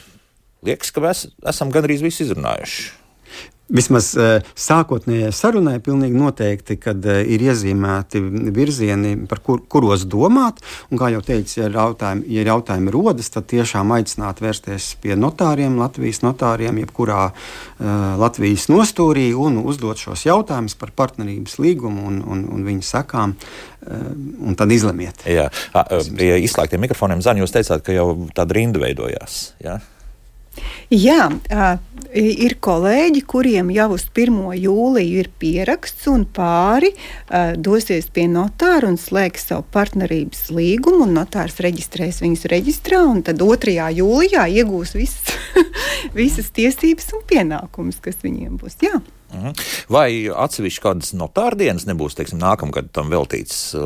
liekas, ka mēs esam gandrīz visu izrunājuši. Vismaz sākotnējai sarunai pilnīgi noteikti, kad ir iezīmēti virzieni, par kuros domāt, un kā jau teicu, ja jautājumi rodas, tad tiešām aicināt vērsties pie notāriem, Latvijas notāriem, jebkurā Latvijas nostūrī un uzdot šos jautājumus par partnerības līgumu un viņu sekām, un tad izlemiet. Jā, pie izslēgtiem mikrofoniem, Zani, jūs teicāt, ka jau tāda rinda veidojās, jā? Jā, ir kolēģi, kuriem jau uz 1. jūliju ir pieraksts un pāri dosies pie notāra un slēgs savu partnerības līgumu, un notārs reģistrēs viņus reģistrā, un tad 2. jūlijā iegūs visas tiesības un pienākumus, kas viņiem būs. Jā. Vai atsevišķi kādas notārdienas nebūs, teiksim, nākamgad tam veltīts,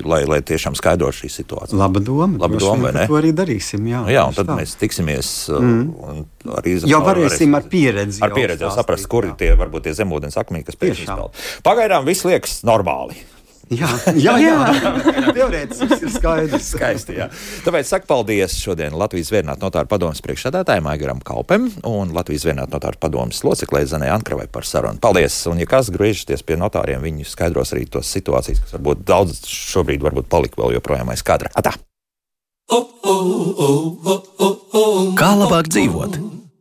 lai tiešām skaidro šī situācija? Laba doma, vai ne? To arī darīsim, jā. Jā, un tad mēs tiksimies un arī jau varēsim ar pieredzi. Ar pieredzi jau saprast, kuri varbūt tie zemūdens akmeņi, kas pēc izpeld. Pagaidām viss liekas normāli. Jā. Teorētiski ir skaidrs. Skaisti, jā. Tāpēc saku paldies šodien Latvijas Zvērinātu notāru padomes priekšsēdētājiem Aigaram Kaupem un Latvijas Zvērinātu notāru padomes loceklei Zanai Ankravai par sarunu. Paldies! Un ja kas griežaties pie notāriem, viņi skaidros arī tos situācijas, kas varbūt daudz šobrīd varbūt palika vēl joprojām aiz kadra. Atā! Kā labāk dzīvot?